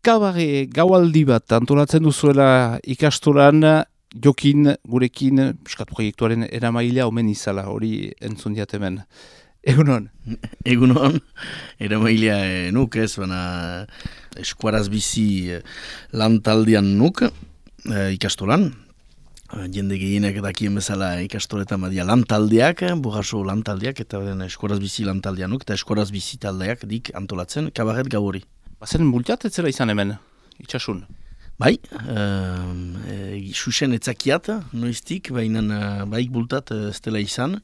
Kabare gaualdi bat antolatzen duzuela ikastolan, jokin, gurekin, piskat proiektuaren eramailea omen izala, hori entzun diat hemen. Egunon? Egunon, eramailea nuk ez, baina eskuaraz bizi lan taldean nuk ikastolan. Jende gehienak dakien bezala ikastoletan badia lantaldeak, Burraso lantaldeak, eta eskuaraz bizi lantaldean nuk, eta eskuaraz bizi taldeak dik antolatzen, kabaret gau hori. Bazen multiat ez zela izan hemen, itxasun? Bai, xuxen etzakiat, noiztik, baina baik bultat ez dela izan.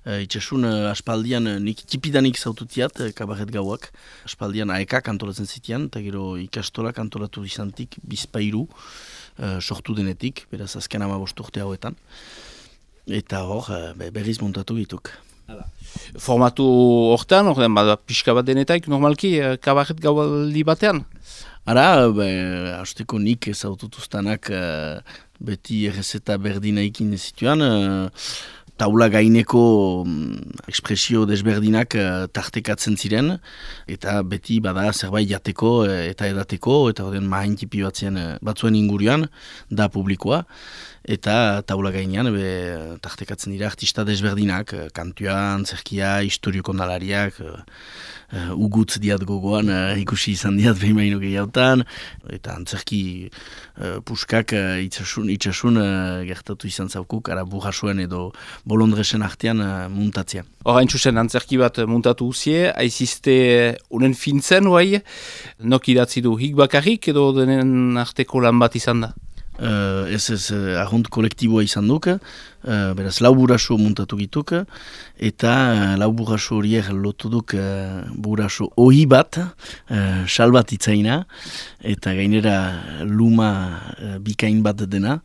Itxasun aspaldian nik tipidanik zaututiat kabaret gauak. Aspaldian aekak antolatzen zitian, eta gero ikastolak antolatu izantik bizpairu sortu denetik, beraz azken 15 urte hauetan. Eta hor, berriz montatu dituk. Formatu hortan, pixka bat denetaik, normalki kabaret gaualdi batean? Ara, hasteko nik ezaututuztanak beti errezeta berdinaikin zituan, taula gaineko ekspresio desberdinak tartekatzen ziren, eta beti bada zerbait jateko eta edateko, eta horren mahaintipi batzuen ingurian, da publikoa, eta taula gainean tartekatzen dira artista desberdinak, kantua, antzerkia, historio kondalariak, ugutz diat gogoan, ikusi izan diat behin baino gehiagotan, eta antzerki puskak itxasun gertatu izan zaukuk, ara Burrasoen edo Bolondresen artean muntatzea. Horain txusen antzerki bat muntatu uzie, aizizte unen fintzen, oai, nok idatzi du hik bakarrik edo denen arteko lan bat izan da? Ez ahont kolektiboa izan duk, beraz lau Burraso muntatu gituk, eta lau Burraso horiek lotu duk Burraso ohi bat, sal bat itzaina, eta gainera luma bikain bat dena,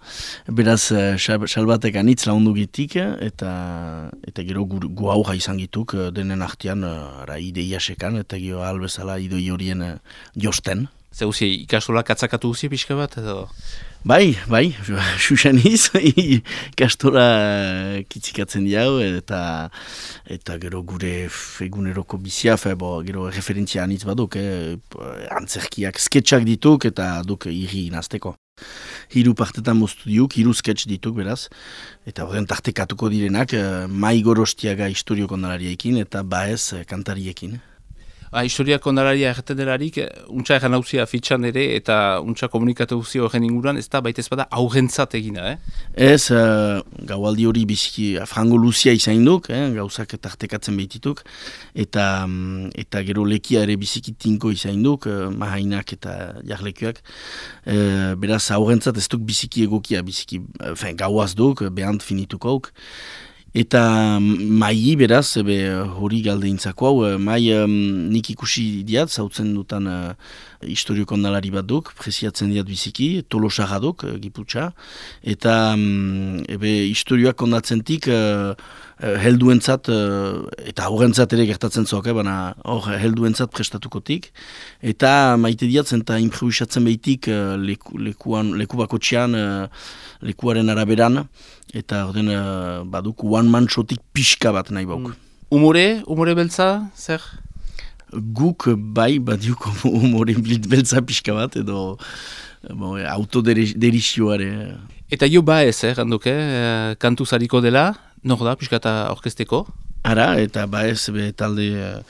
beraz sal batek anitz laundu gitik, eta gero gu aurra izan gituk denen artean ideia sekan, eta gero albezala idoi horien josten. Zer uzi, ikastola katzakatu uzi pixka bat edo? Bai, xuxaniz, ikastola kitzikatzen diau, eta gero gure eguneroko bizia, gero referentzia anitz baduk, antzerkiak sketchak dituk, eta duk irri nazteko. 3 partetan moztu diuk, 3 sketch dituk beraz, eta horren tartekatuko direnak, Mai Gorostiaga historio kondalariaekin, eta Baez kantariekin. Historia kondalaria erraten delarik, untsa erran hauzia fitxan ere, eta untsa komunikatu huzia horren inguruan, ez da baita ez bada aurrentzat egina, Ez, gaualdi hori biziki frango luzia izain duk, gauzak tartekatzen behitituk, eta gero lekia ere biziki tinko izain duk, mahainak eta jarlekuak, beraz aurrentzat ez duk biziki egokia, gauaz duk, behant finituko auk. Eta mai beraz, hori galdeintzako hau, mai nik ikusi diat, zautzen dutan historio kondalari bat duk, preziatzen diat biziki, Tolosarra duk, Giputxa, eta historioak kondatzentik helduentzat, eta horrentzat ere gertatzen zoak, baina helduentzat prestatukotik, eta maite diatzen eta improvisatzen behitik leku bakotxean, lekuaren araberan, eta orden baduk one-man shotik pixka bat nahi bauk. Umore beltza, zer? Guk bai badiuk umore beltza pixka bat, edo autoderizioare. Eta jo Baez, randuke, kantu zariko dela, nor da, pixka eta orkesteko? Ara, eta Baez talde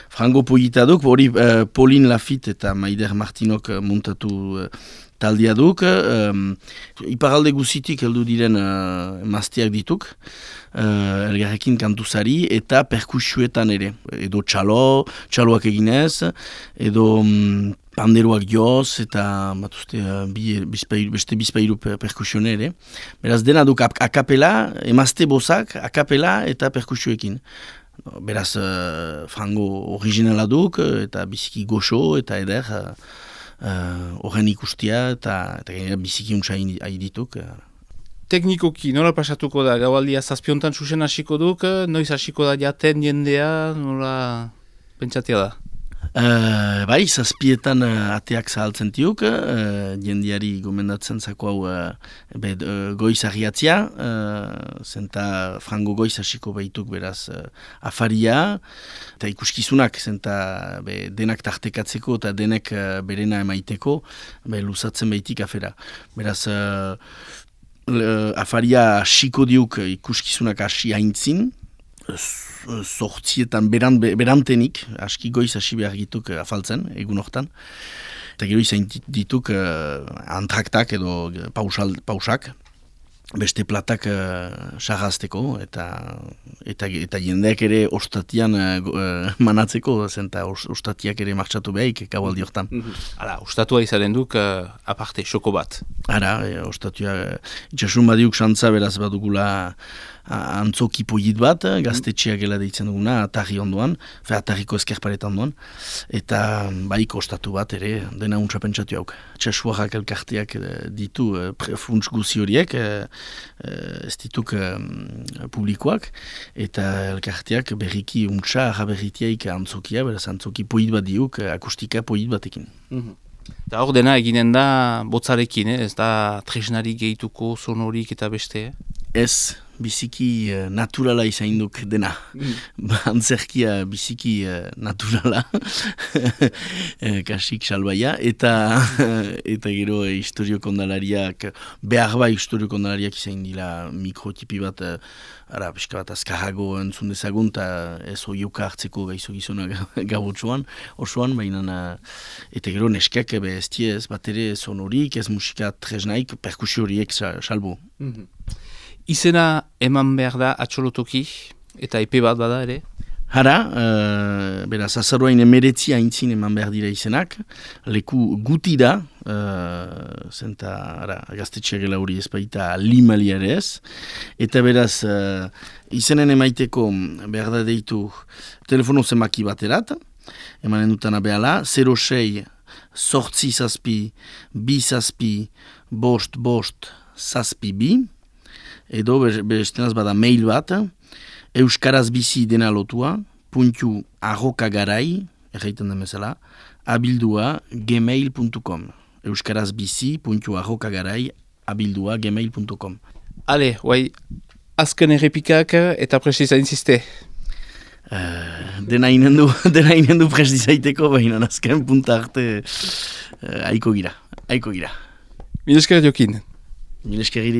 frango polita duk, hori Pauline Lafitte eta Maider Martinok muntatu taldea duk, iparalde guzitik heldu diren emazteak dituk, elgarrekin kantuzari eta perkusioetan ere, edo txaloak eginez, edo panderoak joz, eta beste bizpairu perkusione ere. Beraz dena duk akapela, emazte bozak, akapela eta perkusioekin. Beraz frango originala duk, eta biziki goxo, eta eder, horren ikustia eta biziki untsa dituk. Teknikoki, nola pasatuko da? Gaualdia zazpiontan susen hasiko duk, noiz hasiko da jaten jendea, nola pentsatia da? Bai, zazpietan ateak zahaltzen tiuk, jendiari gomendatzen zako hau goiz agiatzia, zenta frango goiz hasiko behituk beraz afaria, eta ikuskizunak, zenta denak tartekatzeko eta denek berena emaiteko, luzatzen behitik afera. Beraz, afaria hasiko diuk ikuskizunak hasi haintzin, sortzietan berantenik, aski goiz hasi behar dituk afaltzen, egun hortan. Eta gero izan dituk antraktak edo pausak, beste platak sarrazteko eta jendeak ere ostatian manatzeko, zenta ostatiak ere martxatu behaik gaualdi hortan. Hala, ostatua izaren duk aparte, xoko bat. Ara, ostatua, itxasun badiuk xantza beraz badugula antzoki polit bat, gaztetxeak gela deitzen duguna, atarri ondoan, atarriko ezkerparetan ondoan, eta baik ostatu bat ere, dena untsa pentsatu hauk. Txasuarrak elkarteak ditu funts guzi horiek, ez dituk publikoak, eta elkarteak berriki untsa arraberritiaik antzokia, beraz antzoki polit bat diuk, akustika polit batekin. Eta hor dena eginen da botzarekin, ez da tresnari gehituko sonorik eta beste? Ez, biziki naturala izainduk dena. Antzerkia biziki naturala, kasik salbaia, eta gero historio kondalariak, behar bai historio kondalariak izaindila mikrotipi bat, pixka bat azkarrago entzun dezagun, eta ez oioka hartzeko gaizo gizona gabotxoan, osoan, baina, eta gero neskak ez tie ez bat ere sonorik, ez musika tresnaik, perkusio horiek salbo. Izena eman behar da atxolotoki, eta epe bat bada ere? Hara, beraz, azaruain emeretzi haintzin eman behar dira izenak, leku guti da, zenta, gaztetxeak gela hori ez baita limaliare ez, eta beraz, izenen emaiteko behar da deitu telefono zenbaki baterat, emanen dutana behala, 06 sortzi zazpi, bi zazpi, bost zazpi bi, edo bestenaz bada mail bat, euskaraz bizi dena lotua, .arrokagarai, erraiten den bezala, abildua gmail.com. Euskaraz bizi, .arrokagarai, abildua gmail.com. Ale, guai, azken errepikak eta presti zainziste. Dena inen du presti zaiteko, baina azken punta arte aiko gira. Mileskera jokin. Mileskera